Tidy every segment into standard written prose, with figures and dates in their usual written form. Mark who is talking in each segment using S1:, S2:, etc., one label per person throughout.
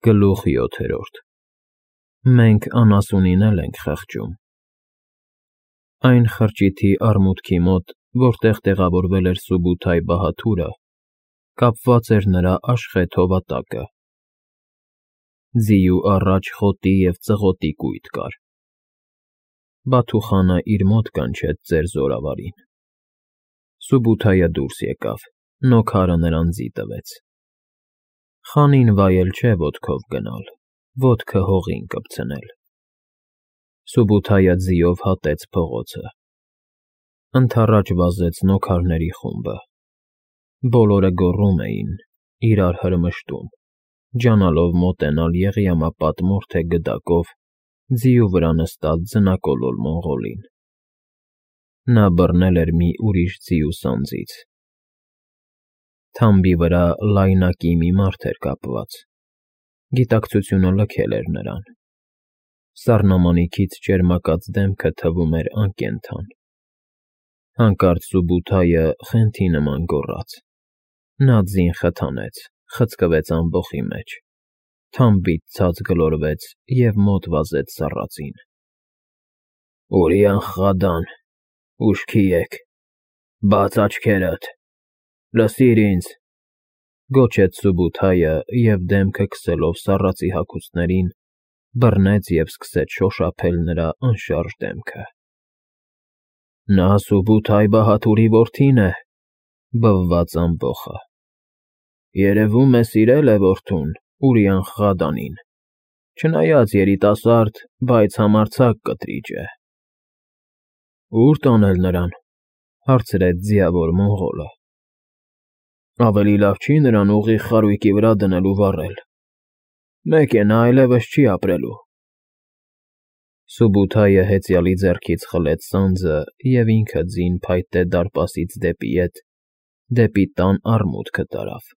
S1: Գլուխ 7. Մենք անասունին ենք խղճում։ Այն խրճիթի արմուտքի մոտ, որտեղ տեղավորվել էր Սուբութայ Բահաթուրը, կապված էր նրա աշխեհ հովատակը։ Ձիու առաջ խոտի և ծղոտի կույտ կար։ Բաթուխանը իր մոտ կանչեց ծեր զորավարին։ Սուբութայը դուրս եկավ, նոքարը նրան ձի տվեց։ Խանին վայել չէ ոտքով գնալ, ոտքը հողին կպցնել։ Սուբութայը ձիով հատեց փողոցը։ Ընդառաջ վազեց նոքարների խումբը։ Բոլորը գոռում էին, իրար հրմշտում, ջանալով մոտենալ Եղիամապատ մորթե գդակով ձիու վրա նստած ձնակոլոլ մոնղոլին։ Նա բռնել էր մի ուրիշ ձիու սանձից։ Թամբի վրա լայնակի մի մարդ էր կապված։ Գիտակցությունը լքել էր նրան։ Սառնամանիքից ճերմակած դեմքը թվում էր անկենդան։ Հանկարծ Սուբութայը խենթի նման գոռաց։ Նա ձին խթանեց, խցկվեց ամբոխի մեջ, թամբից ցած գլորվեց և մոտ վազեց սառածին։ Ուրիան-Խադան, ուշքի եկ, բաց աչքերդ, լսիր ինձ, գոչեց Սուբութայը և դեմքը քսելով սառածի հագուստներին, բռնեց և սկսեց շոշափել նրա անշարժ դեմքը։ Նա Սուբութայ Բահաթուրի որդին է, բվաց ամբոխը։ Երևում է սիրել է որդուն, Ուրիան-Խադանին, չնայած երիտասարդ, բայց համարձակ կտրիճ է։ Ո՞ւր տանել նրան, հարցրեց ձիավոր մոնղոլը։ Ավելի լավ չի նրան ուղիղ խարույկի վրա դնել ու վառել։ Մեկ է, նա այլևս չի ապրելու։ Սուբութայը հեծյալի ձեռքից խլեց սանձը և ինքը ձին փայտե դարպասից դեպի ետ, դեպի տան արմուտքը տարավ։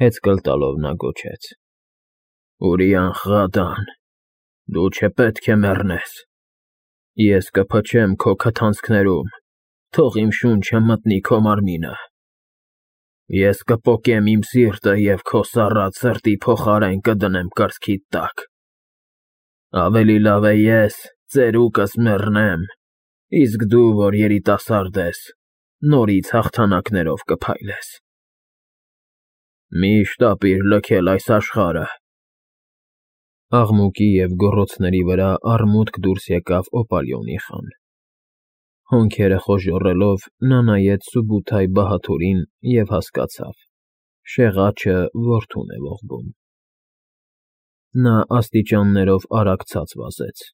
S1: Հեծկլ տալով նա գոչեց. Ուրիան-Խադան, դու չպետք է մեռնես։ Ես կփչեմ քո քթանցքներում, թող իմ շունչը մտնի քո մարմինը։ Ես կպոկեմ իմ սիրտը և քո սառած սրտի փոխարեն կդնեմ կրծքիդ տակ։ Ավելի լավ է ես, ծերուկս մեռնեմ, իսկ դու, որ երիտասարդ ես, նորից հաղթանակներով կփայլես։ Միշտ ապիր լքել այս աշխարհը։ Աղմուկի և գոռոցների վրա արմուտք դուրս եկավ Օպալիոնի խան։ Հոնքերը խոժոռելով, նա նայեց Սուբութայ Բահաթուրին և հասկացավ. շեղաչը որդուն է ողբում։ Նա աստիճաններով արագ ցած վազեց։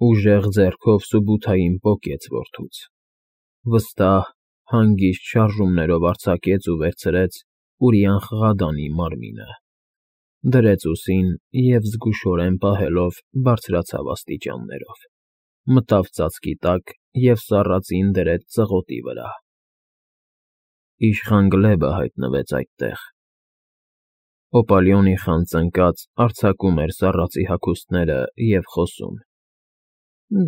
S1: Ուժեղ ձեռքով Սուբութային պոկեց որդուց։ Վստահ, հանգիստ շարժումներով արձակեց ու վերցրեց Ուրիան-Խադանի մարմինը։ Դրեց ուսին և զգուշորեն պահելով բարձրացավ աստիճաններով, մտավ ծածկի տակ և սառածին դրեց ծղոտի վրա։ Իշխան Գլեբը հայտնվեց այդտեղ։ Օպալիոնի խան ծնկած արձակում էր սառածի հագուստները և խոսում.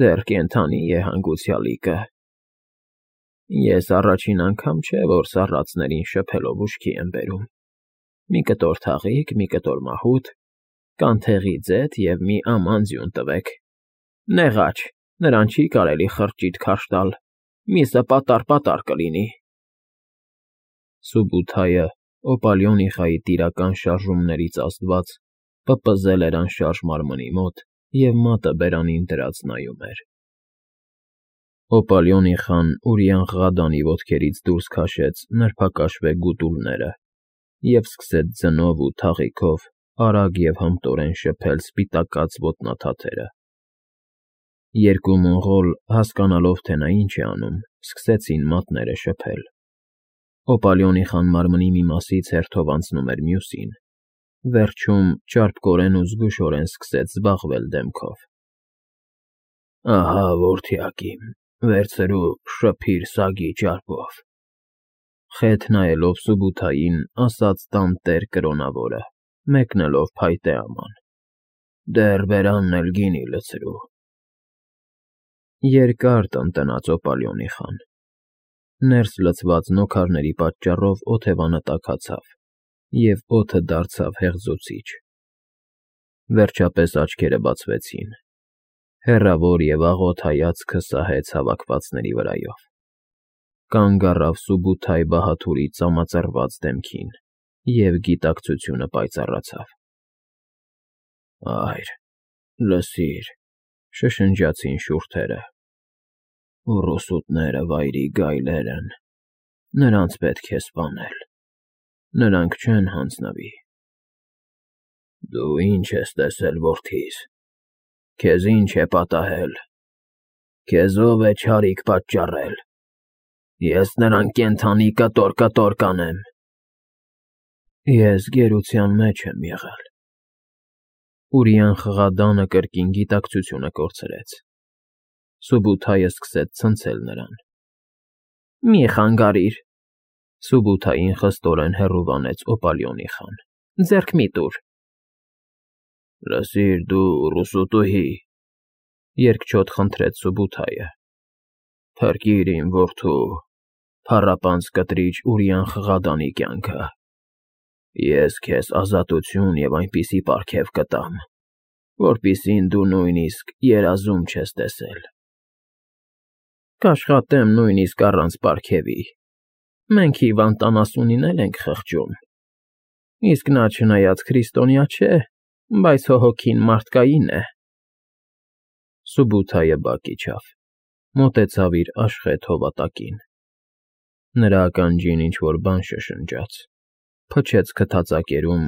S1: Դեռ կենդանի է հանգուցյալիկը։ Ես առաջին անգամ չէ, որ սառածներին շփելով ուշքի եմ բերում։ Մի կտոր թաղիկ, մի կտոր մահութ, կանթեղի ձեթ և մի աման ձյուն տվեք։ Նեղաչ, նրան չի կարելի խրճիթ քարշ տալ, միսը պատառ կլինի։ Սուբութայը, Օպալիոնիխայի տիրական շարժումներից ազդված, պպզել էր անշարժ մարմնի մոտ և մատը բերանին դրած նայում էր։ Օպալիոնիխան Ուրիան-Խադանի ոտքերից դուրս քաշեց նրբակաշվե գուտուլները և սկսեց ձնով ու թաղիքով արագ և հմտորեն շփել սպիտակած ոտնաթաթերը։ Երկու մոնղոլ, հասկանալով, թե նա ինչ է անում, սկսեցին մատները շփել։ Օպալիոնիխան մարմնի մի մասից հերթով անցնում էր մյուսին, վերջում ճարպկորեն ու զգուշորեն սկսեց զբաղվել դեմքով։ Ահա, որդյակիմ, վերցրու, շփիր սագի ճարպով, խեթ նայելով Սուբութային, ասաց տանտեր կրոնավորը, մեկնելով փայտե աման։ Դեռ բերանն էլ գինի լցրու։ Երկար տնտնաց Օպալիոնիխան։ Ներս լցված նոքարների պատճառով օթևանը տաքացավ, և օդը դարձավ հեղձուցիչ, Վերջապես աչքերը բացվեցին։ Հեռավոր և աղոտ հայացքը սահեց հավաքվածների վրայով։ Կանգ առավ Սուբութայ Բահաթուրի ծամածռված դեմքին, և գիտակցությունը պայծառացավ։ «Այր, լսիր», շշնջացին շուրթերը։ «Ուռուսուտները վայրի գայլեր են, նրանց պետք է սպանել, նրանք չեն հանձնվի»։ «Դու ի՞նչ ես տեսել որդիս, քեզ ի՞նչ է պատահել, քեզ ո՞վ է չարիք պատճառել, ես նրան կենդանի կտոր կանեմ»։ «Ես գերության մեջ եմ եղել»։ Ուրիան խղադանը կրկին գիտակցությունը կորցրեց։ Սուբութայը սկսեց ցնցել նրան։ «Մի խանգարիր», Սուբութային խստորեն հեռու վանեց Օպալիոնի խան։ «Ձեռք մի տուր»։ «Լսիր դու, ուռուսուտուհի», երկչոտ խնդրեց Սուբութայը, «փրկիր իմ որդու, փառապանծ կտրիչ Ուրիան խղադանի կյանքը։ Ես քեզ ազատություն և այնպիսի պարգև կտամ, որպիսին դու նույնիսկ երազում չես տեսել»։ «Կաշխատեմ նույնիսկ առանց պարգևի, մենք հիվանդ 70-ին էլ ենք խղճում, իսկ նա չնայած քրիստոնյա չէ, բայց հոգին մարդկային է»։ Սուբութայը բակ իջավ, մոտեցավ իր աշխեթ հովատակին։ Նրա ականջին ինչ֊որ բան շշնջաց, փչեց քթածակերում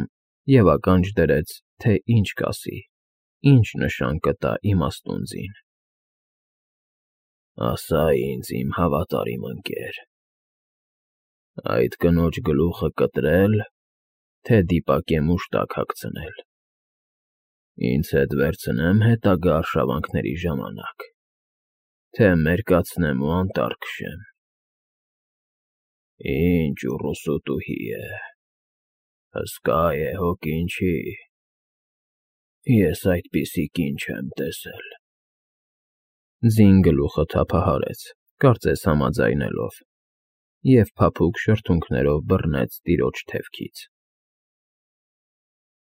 S1: և ականջ դրեց, թե ինչ կասի, ինչ նշան կտա իմաստուն ձին։ «Ասա ինձ, իմ հավատարիմ ընկեր, այդ կնոջ գլուխը կտրե՞լ, թե դիպակ է մուշտակ հագցնել։ Ինձ հետ վերցնե՞մ հետագա արշավանքների ժամանակ, թե մերկացնեմ ու անտառ քշեմ։ Ինչ ուռուսուտուհի է, հսկա է, հոգին չի։ Ես այդպիսի կին չեմ տեսել»։ Ձին գլուխը թափահարեց, կարծես համաձայնելով, և փափուկ շրթունքներով բռնեց տիրոջ թևքից։